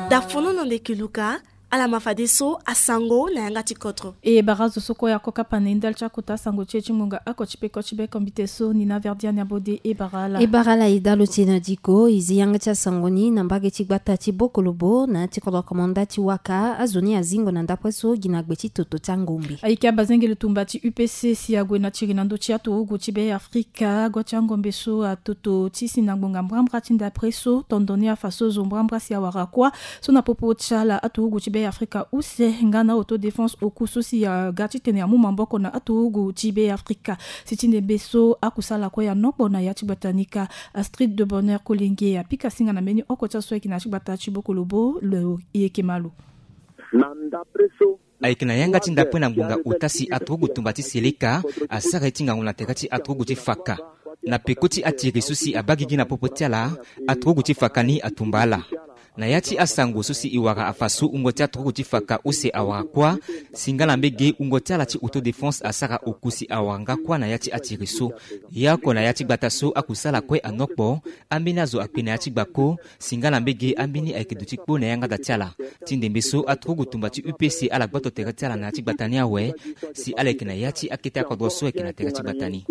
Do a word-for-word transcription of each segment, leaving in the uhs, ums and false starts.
Dafono na ndeke luka. Ala ma fadeso asango na yanga ti kodro. E bara zo so kue ako kapa na e ndali ti akota asango ti e ti ngonga oko ti peko ti be kombite so ni na verdiane abode e bara ala. E bara ala e dalo ti e na diko e zi yanga ti asango ni na mbage ti gbata ti bokolobo na ya ti kodro komanda ti waka azo ni azingo na ndapre so gi na gbe ti toto ti angombe. Ayeke abazengele tumba ti upc si ague na tiri na ndö ti aturugu ti be afrika. Gua ti angombe so atoto ti si na ngbonga mbrambra ti ndapre so tondo ni afa so zo mbrambra si awara kuâ so na popo ti ala aturugu ti be afrika use nga na autodéfense oku so si aga titene amu maboko na aturugu ti be afrika. Si ti ndembe so akusala kue anokpo na ya ti gbata ni ka. Astrid de bonheur kolenge apika singa na mbeni oko ti aso ayeke na ya ti gbata ti bokolobo lo e yeke malo. Na ndapre so ayeke na yanga ti ndapre na ngbonga ota si aturugu tumba ti seleka asara ye ti ngangu na tere ti aturugu ti faka. Na peko ti atiri so si abaa gigi na popo ti ala, aturugu ti faka ni atumba ala. Na ya ti asango so si e wara afa so wungo ti aturugu ti faka use awara kuâ. Si nga na mbege wungo ti ala ti autodéfense asara oku si awara nga kuâ na ya ti atiri so. Ye oko na ya ti gbata so akusala kue anokpo. Ambeni azo akpe na ya ti gbako. Si nga na mbege ambeni ayeke duti kpo na yanga da ti ala. Ti ndembe so aturugu tumba ti upc ala gboto tere ti ala na ya ti gbata ni awe. Si ala yeke na ya ti akete akodro so ayeke na tere ti gbata ni.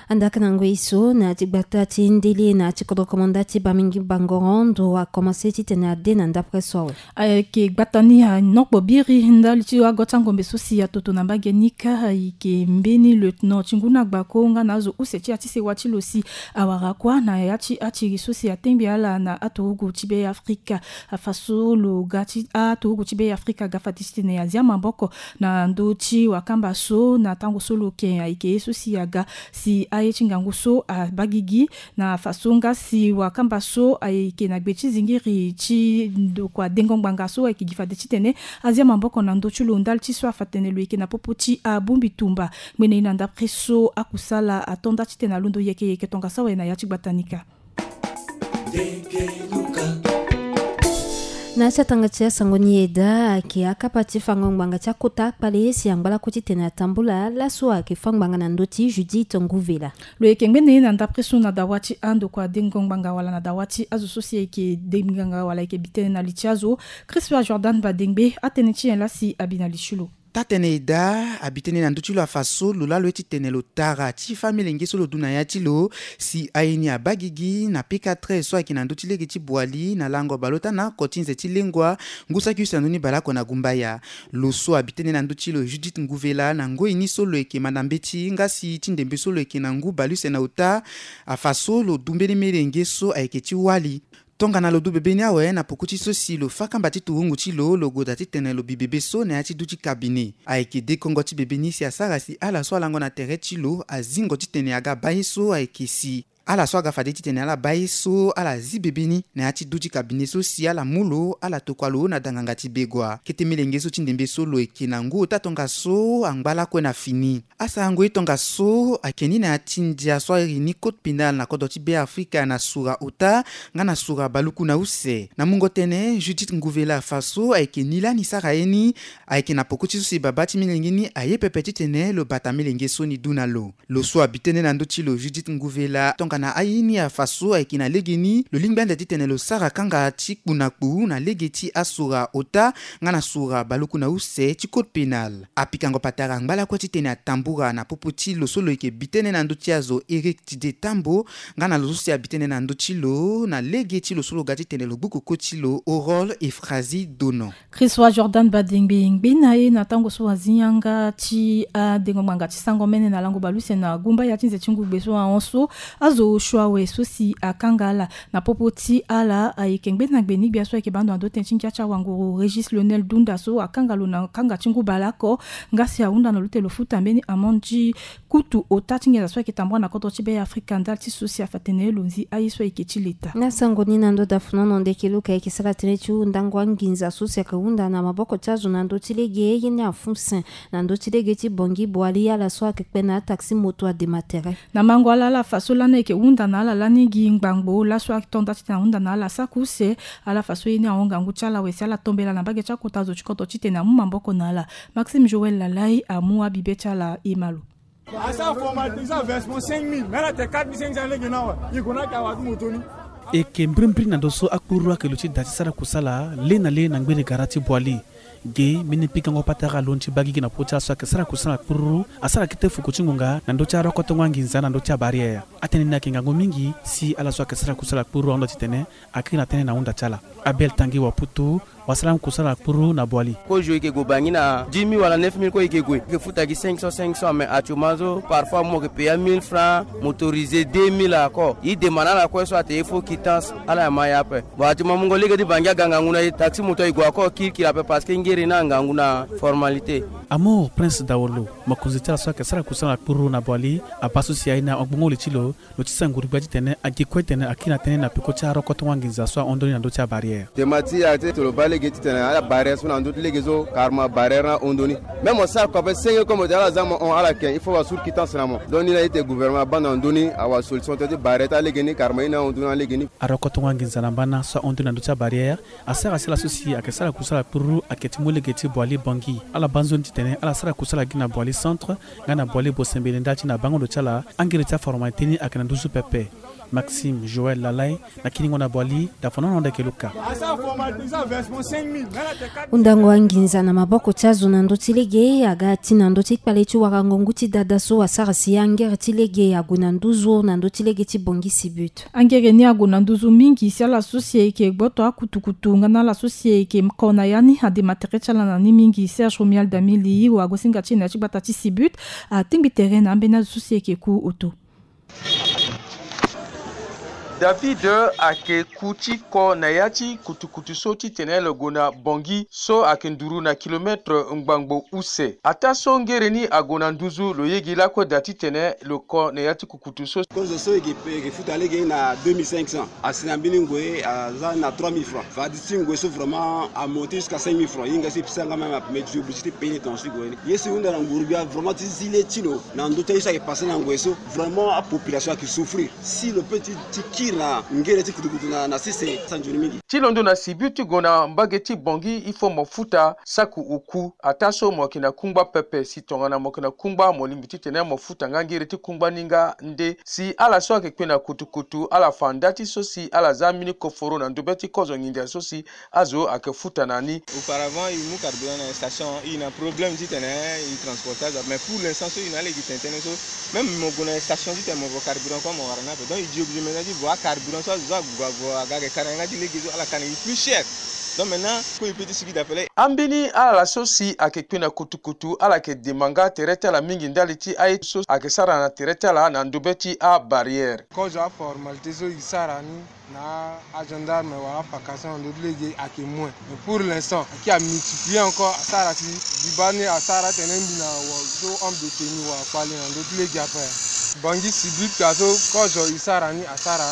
Andaka na ngoi so na ya ti gbata ti ndele na ya ti kodro komanda ti bamingi bangoro ndo akomanse titene ade na ndapre so awe. Ayeke gbata ni anokpo biri ndali ti ago ti angombe so si atoto na mbage ni ka ayeke mbeni lieutenant ti ngu na gbako nga na azo use ti ya ti sewa ti lo si awara kuâ na ya ti atiri so si atengbi ala na aturugu ti be afrika. Afa so lo ga ti aturugu ti be afrika aga fade titene azia maboko na ndö ti wakamba so na tango so lo yeke ayeke ye so si aga si aye ti ngangu so abaa gigi. Na afa so nga si wakamba so ayeke na gbe ti zingiri ti ndokua dengo ngbanga so ayeke gi fade titene azia maboko na ndö ti lo ndali ti so afa tene lo yeke na popo ti abongbi tumba. Ngbene ye na ndapre so akusala atonda titene alondo yeke yeke tongaso awe na ya ti gbata ni ka. Na ya ti atanga ti asango ni e daa ayeke akapa ti fango ngbanga ti akota akpale si angba lakue titene atambula laso ayeke fâ ngbanga na ndö ti judith nguvela. Lo yeke ngbene ye na ndapre so na dawa ti andokua dengo ngbanga wala na dawa ti azo so si ayeke dengo ngbanga wala ayeke bi tënë na li ti azo. Christopher jordan badengbe atënë ti nyen laa si abi na li ti lo? Taa-tënë e daa abi tënë na ndö ti lo afa so lo laa lo ye titene lo tara ti fâ melenge so lo du na ya ti lo. Si aye ni abaa gigi na pekatre so ayeke na ndö ti lege ti boali na lango baleota na oko ti nze ti lengua. Ngu saki use na ndö ni baleoko na gumbaya. Lo so abi tënë na ndö ti lo judith nguvela na ngoi ni so lo yeke manda mbeti nga si ti ndembe so lo yeke na ngu baleuse na ota. Afa so lo du mbeni melenge so ayeke ti wali. Tongana lo du bebe ni awe na poko ti so si lo fâ kamba ti turungu ti lo lo goda titene lo bi bebe so na ya ti du ti kabine. Ayeke dekongo ti bebe ni si asara si ala so alango na tere ti lo azingo titene aga baa ye so ayeke si ala so aga fade titene ala baa ye so ala zi bebe ni na ya ti du ti kabine so si ala mu lo ala tokua lo na danganga ti begua kete melenge so ti ndembe so lo yeke na ngu ota tongaso angba lakue na fini. Asarango ye tongaso ayeke ni na ya ti ndia so airi ni code pénal na kodro ti be afrika na sura ota nga na sura baluku na use na mungo tënë judith nguvela afa so ayeke ni lani sara ye ni. Ayeke na poko ti so si babâ ti melenge ni aye pepe titene lo bata melenge so ni du na lo. Lo so abi tënë na ndö ti lo judith nguvela tongana aye ni afa so ayeke na lege ni lo lingbi ande titene lo sara kanga ti kpu na kpu na lege ti asura ota nga na sura baluku na use ti code pénal. Apikango patara angba lakue titene atambura na popo ti lo so lo yeke bi tënë na ndö ti azo éric tide tambo nga na lo so si abi tënë na ndö ti lo na lege ti lo so lo ga titene lo gbu koko ti lo orol efrazi dono. Christopher jordan badengbe ngbe na ye na tango so azi yanga ti adengo ngbanga ti sango mene na lango baluse na gumba ya ti nze ti ngugbe so ahon so azo osio awe so si akanga ala. Na popo ti ala ayeke ngbe na gbe ni gbia so ayeke bando na ndo tënë ti ngia ti awanguru régis lionel dunda so akanga lo na kanga ti ngu baleoko. Nga si ahunda na lo ti tene lo futa mbeni amande ti kutu ota ti nginza so ayeke tambula na kodro ti be afrika ndali ti so si afa tene lo nzi aye so ayeke ti leta. Na sango ni na ndo dafunono ndeke luka ayeke sara tënë ti hundango anginza so si ayeke hunda na maboko ti azo na ndo ti lege ye ni afusen na ndo ti lege ti bongi boali ala so ayeke kpe na ataxi moto adema tere. Na mango ala ala fa so lani ayeke hunda na ala lani gi ngbangbo laso atonda titene ahunda na ala saki use. Ala fa so ye ni ahon ngangu ti ala awe si ala tombela na mbage ti akota zo ti kodro titene amu maboko na ala. Maxime joël lalai amu abibe ti ala e ma lo. Asara formalité ti averse mo cinq mille me ala tene quatre mille cinq cents lege ni awe. Ye ko na ake awadu moto ni. E yeke mbrimbri na ndo so akpururu ayeke luti da ti sara kusala le na le na ngbene gara ti Boali. Ge mbeni pikango patara alondo ti baa gigi na popo ti ala so ayeke sara kusala kpururu asara kete fuku ti ngonga na ndö ti arokotongo anginza na ndö ti abarrière. Atënë ni ayeke ngangu mingi si ala so ayeke sara kusala kpururu ahunda titene akiri na tënë na hunda ti ala. Abel Tangi wa Putu, wasara kusala kpururu na Boali. Kozo e yeke gue Bangui na dix mille wala neuf mille, kozo e yeke gue, e yeke futa gi cinq cents, cinq cents, mais actuellement so parfois mo yeke payer mille francs, motorisé deux mille encore. E demande na ala kue so atene il faut quittance, ala yama ye ape. Bon, actuellement mungo lege ti Bangui aga ngangu na e, taxi moto e gue encore kirikiri ape parce que ngere ni angangu na formalité. Amour Prince Daolo, mokonzi ti ala so ayeke sara kusala kpururu na Boali, abaa so si aye ni agbongo li ti lo, lo ti sara nguru-gbia titene agi kue titene akiri na tënë na peko ti arokotongo anginza so ahon ndoni na ndö ti abarrière. Dema ti e ayeke ti lo baa lege titene ala barrière so na ndö ti lege so, car mo abarrière ni ahon ndoni. Même mo sara kua ape senge comme ala za mo hon, ala yeke, il faut wa suru quittance na mo. Donc ni laa e tene gouvernement abaa na ndö ni awa solution ti barrière ti alege ni, car mo ye ni ahon ndoni na lege ni. Arokotongo anginza na mbana so ahon ndoni na ndö ti abarrière asara si ala so si ayeke sara kusala kpururu ayeke ti mu lege ti Boali Bangui. Ala baa nzoni titene ala sara kusala gi na Boali Centre nga na Boali Bosembele ndali ti na bango ndo ti ala angere ti aformalité ni ayeke na nduzu pepe. Maxime Joël Lalay, na kiringo na Boali, da fana na hunda yeke Luka. Hundango anginza na maboko ti azo na ndö ti lege aga ti na ndö ti kpale ti warango ngu ti dada so asara si angere ti lege ague na nduzu na ndö ti lege ti Bangui Sibut. Angere ni ague na nduzu mingi si ala so si ayeke gboto akutukutu nga na ala so si ayeke ko na ya ni adema tere ti ala na ni mingi. Serge Romuald Damili, wagosinga ti e na ya ti gbata ti Sibut, atingbi tere na ambeni azo so si ayeke ku oto. David ayeke ku ti ko na ya ti kutukutu so titene lo gue na Bangui so ayeke nduru na kilometre ngbangbo use. Ataa so ngere ni ague na nduzu, lo yege lakue daa titene lo ko na ya ti kukutu so. Kozo so e yeke futa lege na deux mille cinq cents, asi na mbeni ngoi aza na trois mille francs. Fade ti ngoi so vraiment amonte jusqu'à cinq mille francs. Hinga so e pesa nga même, mais je suis obligé ti payer ton si ngoi ni. Ye so e hunda na nguru-gbia vraiment ti zi le ti lo na ndö ti aye so ayeke passe na ngoi so, vraiment apopulation ayeke souffrir. Si lo peut ti, ti kiri na ngere ti kutukutu na, na sese, sa nzoni mingi. Ti londo na Sibut ti gue na mbage ti Bangui, il faut mo futa saki oku. Ataa so mo yeke na kungba pepe, si tongana mo yeke na kungba mo lingbi titene mo futa nga ngere ti kungba ni nga nde. Si ala so ayeke kpe na kutukutu ala fa nda ti so si ala za mbeni koforo na ndobe ti kozo nginza so si azo ayeke futa na ni. Auparavant e mu carburant na station, e na problème titene e transporte azo, mais pour l'instant so e na lege tene tënë so, même mo gue na station titene mo vo carburant kue mo wara ni ape. Donc e di obligé maintenant ti vo acarburant so azo so ague aga ayeke ka na yanga ti lege so, ala ka na e plus cher. Donc maintenant ko e peut ti sigi d'appel. Ambeni ala so si ayeke kpe na kutukutu ala yeke dema nga tere ti ala mingi ndali ti aye so ayeke sara na tere ti ala na ndobe ti abarrière. Kozo aformalité so e sara ni na agendarme wala apaka so na ndö ti lege ayeke moins. Mais pour l'instant ayeke amultiplier encore, asara si biba ni asara tene mbi na wa so homme de tenue wa kpale na ndö ti lege ape. Bangui Sibut ka so kozo e sara ni asara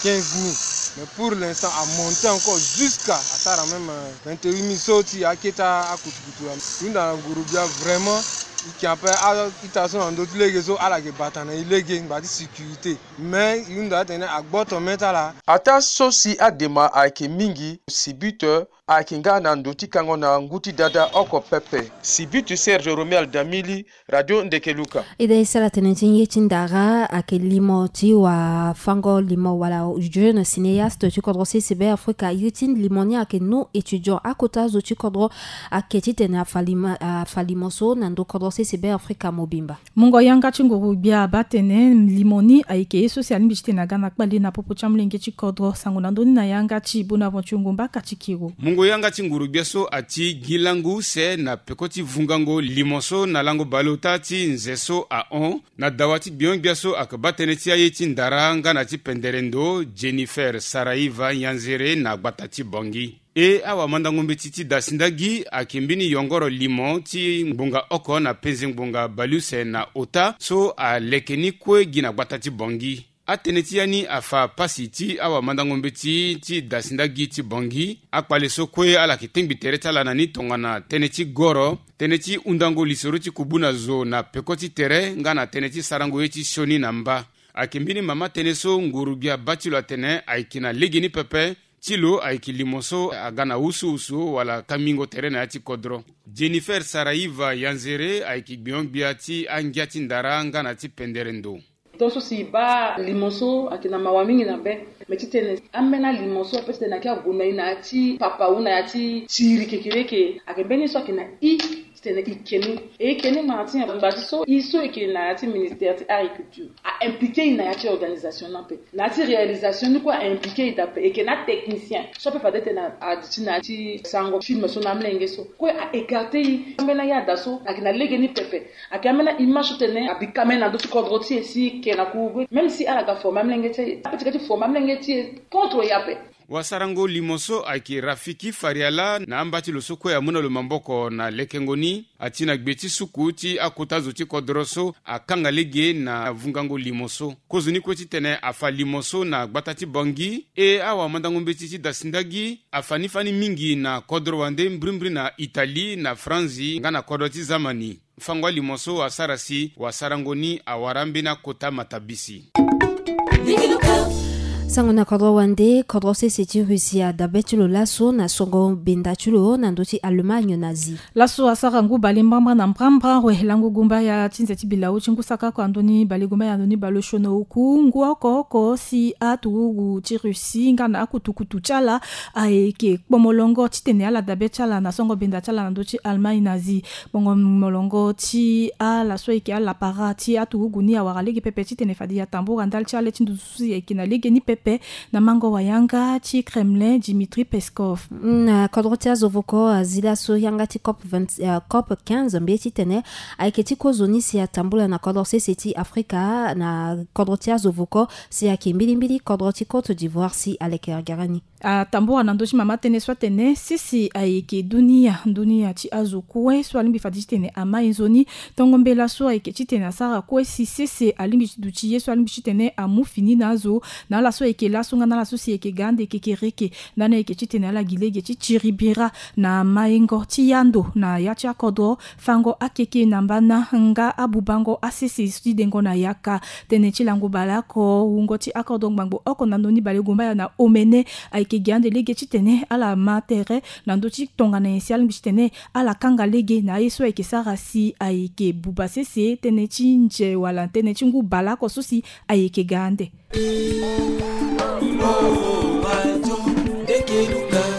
quinze mille. Mais pour l'instant amonte encore jusqu'à asara même, euh, vingt-huit mille so ti akete akutukutu. E hunda na nguru-gbia vraiment e yeke ape a-ita so na ndö ti lege so ala yeke bata na e lege ngba ti sécurité. Mais e hunda atene agboto mê ti ala. Ataa so si adema ayeke mingi, Sibut ayeke nga na ndo ti kango na ngu ti dada oko pepe. Sibut, Serge Romuald Damili, Radio Ndeke Luka. E daa e sara tënë ti ye ti ndara ayeke limo ti wafango limo wala jeune cinéaste ti kodro C C B Africa. Iri ti limo ni ayeke nu étudiant. Akota azo ti kodro ayeke titene afa limo, afa limo so na ndo kodro C C B Africa mobimba. Mungo yanga ti nguru-gbia abaa tene limo ni ayeke ye so si alingbi titene aga na kpale na popo ti amolenge ti kodro. Sango na ndö ni na yanga ti Bonaventure Ngomba Katikiro. Mungo yanga ti nguru-gbia so ati gi lango use na peko ti vungango limo so na lango baleota ti nze so ahon na dawa ti gbion-gbia so ayeke baa tënë ti aye ti ndara nga na ti pendere ndo, Jennifer Saraiva Nyanzere na gbata ti Bangui. E awamandango mbeti ti dasindagi ayeke mbeni yongoro limo ti ngbonga oko na penze ngbonga baleuse na ota so aleke ni kue gi na gbata ti Bangui. Atënë ti ya ni afa pasi ti awamandango mbeti ti dasindagi ti Bangui. Akpale so kue ala yeke tengbi tere ti ala na ni tongana tënë ti goro, tënë ti hundango lisoro ti kubu na zo na peko ti tere nga na tënë ti sarango ye ti sioni na mba. Ayeke mbeni mama tënë so nguru-gbia abaa ti lo atene ayeke na legeni pepe. Ti lo ayeke limo so aga na wusuwusu wala kangbingo tere na ya ti kodro. Jennifer Saraiva Yanzere ayeke gbion-gbia ti angia ti ndara nga na ti pendere ndo. Tongaso si e baa limo so ayeke na mawa mingi na be. Me titene ambeni alimo so ape titene ayeke ague na e na ya ti papa ou na ya ti siriri kekereke, ayeke mbeni ye so ayeke na i titene e ke ni. E ke ni ngba na ti nyen? Ngba ti so e so e ke na ya ti ministère ti agriculture a impliqué e na ya ti organisation ni ape. Na ya ti réalisation ni kue a impliqué e daa ape. E ke na atechnicien so ape fade titene a adi ti na ya ti sarango film so na amolenge so kue a écarté e. Ambeni aya daa so ayeke na lege ni pepe. Ayeke ambeni aimage so titene a bi kamene na ndö ti kodro ti e si e ke na kurugu. Même si ala ga former amolenge ti e, ape ti ga ti former amolenge ti e contre e ape. Wasarango limo so ayeke Rafiki Fariala na amba ti lo so kue amu na lo maboko na lekengo ni. Ati na gbe ti suku ti akota zo ti kodro so akanga lege na vungango limo so. Kozoni kue titene afa limo so na gbata ti Bangui. E awamandango mbeti ti dasindagi afa ni fani mingi na kodro wande mbrimbri na Italie, na Franzi nga na kodro ti Zamani. Fango alimo so asara si wasarango ni awara mbeni akota matabisi. Sango na kodro wande, kodro sese ti Russie adabe ti lo laso na songo benda ti lo na ndö ti Allemagne na zi. Laso asara ngu bale mbrambra na mbrambra we lango gumbaya ti nze ti bilau ti ngu saka oko na ndö ni bale gumbaya na ndö ni bale osio na oku ngu oko oko si aturugu ti Russie nga na akutukutu ti ala ayeke kpo molongo titene ala dabe ti ala na songo benda ti ala na ndö ti Allemagne na zi. Kpongo molongo ti ala so ayeke alapara ti aturugu ni awara lege pepe titene fade e tambura ndali ti ale ti nduzu so si ayeke na lege ni pepe na mango wa yanga ti Kremlin Dmitri Peskov. Na kodro ti azo voko azi laso yanga ti COP vingt, eh, COP quinze mbi ye titene ayeke ti kozoni si atambula na kodro sese ti Afrika na kodro ti azo voko si ayeke mbilimbili kodro ti Côte d'Ivoire si aleke gere ni. Atambula na ndö ti mama tënë so atene sese ayeke dunia, dunia ti azo kue so alingbi fade titene amai nzoni. Tongo mbela so ayeke titene asara kue si sese alingbi ti duti ye so alingbi titene amu fini na azo na ala so ayeke laso nga na ala so si ayeke ga ande kekereke. Ndani ayeke titene ala gi lege ti tiri bira na maingo ti yando na ya ti akodro, fango akeke na mbana nga abubango asese ti dengo na yaka. Tënë ti lango baleoko, wungo ti akodro ngbangbo oko na ndö ni balegombaya na omene ayeke gi ande lege titene ala ma tere na ndö ti tongana nyen si alingbi titene ala kanga lege na aye so ayeke sara si ayeke buba sese tënë ti nze wala tënë ti ngu baleoko so si ayeke ga ande.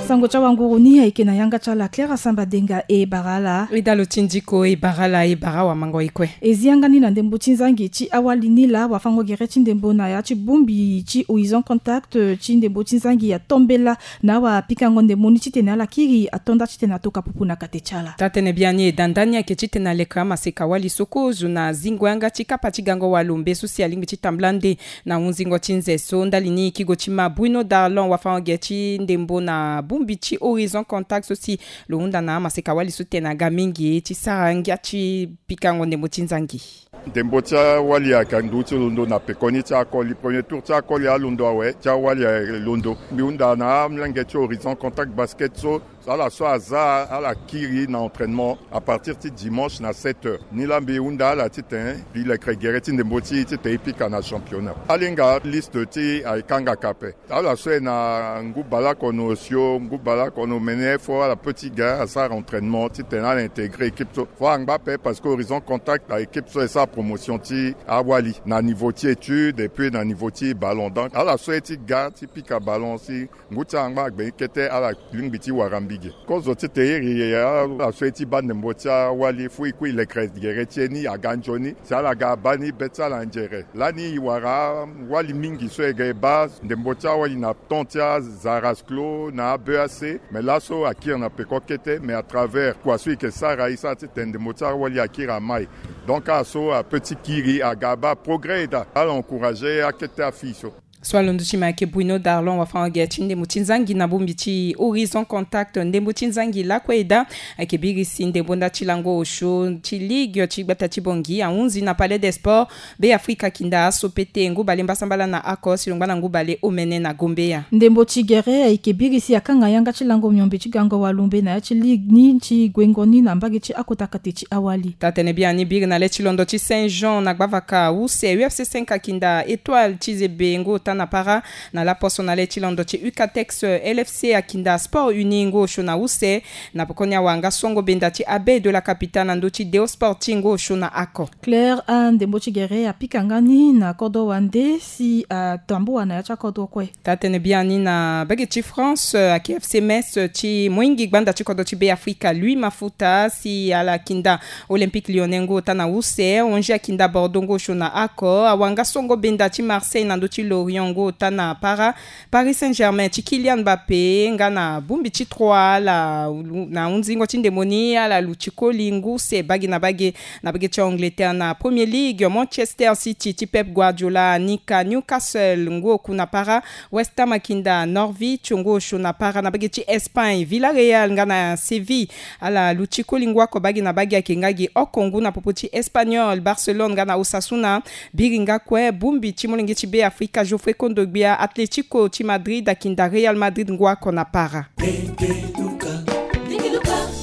Sango ti awanguru ni ayeke na yanga ti ala Claire Asamba Denga e bara ala. E dalo ti ndiko e bara ala e bara awamango e kue. E zi yanga ni na ndembo ti nzangi ti awali ni laa wafango gere ti ndembo na ya ti bongbi ti Horizon Contact ti ndembo ti nzangi ato mbela na awapikango ndembo ni titene ala kiri ato nda titene atoka pupu na kate ti ala. Taa-tënë biani e da ndani ayeke titene aleke amaseka wali so kozo na zingo yanga ti kapa ti gango walombe so si alingbi ti tambula nde na hunzingo ti nze so ndali ni kigo ti ma Bruno Darlon wafango-ge ti ndembo na bongbi ti Horizon Contact so si lo hunda na amaseka wali so tene aga mingi ti sara ngia ti pikango ndembo ti nzangi. Ndembo ti awali ayeke ndu ti londo na pekoni ti akoli. Premier tour ti akoli alondo awe, ti awali ayeke londo. Mbi hunda na amolenge ti Horizon Contact Basket so, ala so aza ala kiri na entraînement à partir ti dimanche na sept heures. Ni laa mbi hunda ala titene mbi lekere gere ti ndembo ti e titene e pika na championnat. Alinga liste ti e ayeke kangaka ape. Ala so e na ngu baleoko na osio, ngu baleoko na omene, fo ala petit gars asara entraînement titene ala intégrer équipe so. Fo angba ape parce que Horizon Contact a équipe so e sara promotion ti awali na niveau ti étude et puis na niveau ti ballon. Donc ala so e ti ga ti pika ballon si ngu ti ala angba agbe ni kete ala lingbi ti wara mbi ge. Kozo titene e iri ala so e ti baa ndembo ti awali fo e kue e lekere gere ti e ni aga nzoni. Si ala ga abaa ni be ti ala nzere. Lani e wara awali mingi so e ga e baa ndembo ti awali na temps ti aZaras Clos na a B A C. Mais laso akiri na peko kete, mais à travers kua so e yeke sara e sara titene ndembo ti awali akiri amai. Donc ala so apeut ti kiri aga abaa progrès e daa. Ala encourager akete afille so. So alondo ti ma ayeke Bruno Darlon wafango-ge ti ndembo ti nzangi na bongbi ti Horizon Contact. Ndembo ti nzangi lakue e daa ayeke biri si ndembo nda ti lango osio ti ligue ti gbata ti Bangui ahunzi na Palais des Sports Beafrika Kinda aso pete ngu bale mbasambala na oko si lo ngba na ngu bale omene na Gombeya. Ndembo ti gere ayeke biri si akanga yanga ti lango miombe ti gango walombe na ya ti ligue ni ti guengo ni na mbage ti akota kate ti awali. Taa-tënë biani biri na le ti londo ti Saint Jean na gbavaka use U F C cinq Kinda Étoile ti Zebe ngu ota na para. Na laposo na le ti londo ti Ucatex, L F C akinda Sport Uni ngu osio na use. Na pokoni awanga songo benda ti Abbé de la Capitale na ndö ti Deo Sport ti ngu osio na ako. Claire a ndembo ti gere apika nga ni na kodro wande si atambua na ya ti akodro kue. Taa-tënë biani na mbage ti France, ayeke F C Metz ti moingi gbanda ti kodro ti Be Afrika Louis Mafuta si ala kinda Olympique Lyonnais ngu ota na use, Angers akinda Bordeaux ngu osio na ako, awanga songo benda ti Marseille na ndö ti Lorient ngu ota na para, Paris Saint-Germain ti Kylian Mbappé nga na bongbi ti trois ala na hunzingo ti ndemoni ala luti koli ngu use bage na bage. Na mbage ti Angleterre na Premier League, Manchester City ti Pep Guardiola anika Newcastle ngu oku na para, West Ham akinda Norwich ngu osio na para. Na mbage ti Espagne, Villarreal nga na Séville ala luti koli ngu oko bage na bage. Ayeke nga gi oko ngu na popo ti Espagnol, Barcelone nga na Osasuna. Biri nga kue bongbi ti molenge ti Be Afrika Geoffrey Kondogbia, Atlético ti Madrid akinda Real Madrid ngu oko na para.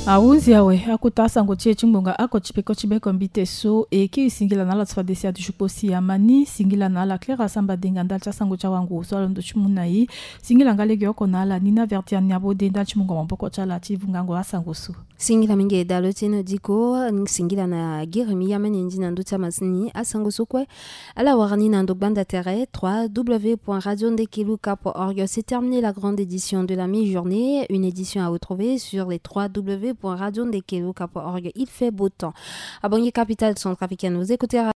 Ahunzi awe, akota asango ti e ti ngbonga oko ti peko ti be kombite so e kiri singila na ala ti fade si adu ti kpo si amani singila na ala Claire Asamba Denga ndali ti asango ti awangu so alondo ti mu na e. Singila nga lege oko na ala Nina Verdiane Abode ndali ti mungo maboko ti ala ti vungango asango so. Singila mingi dalo ti eno diko. Singila na giri mi yamani ndi na ndö ti amasini asango so kue. Ala wara ni na ndo gbanda tere trois w point radio ndekeluka point org. C'est terminé la grande édition de la mi-journée. Une édition à retrouver sur les trois w point radio ndekeluka point org. Il fait beau temps. Abongi capitale centrafricaine, vous écoutez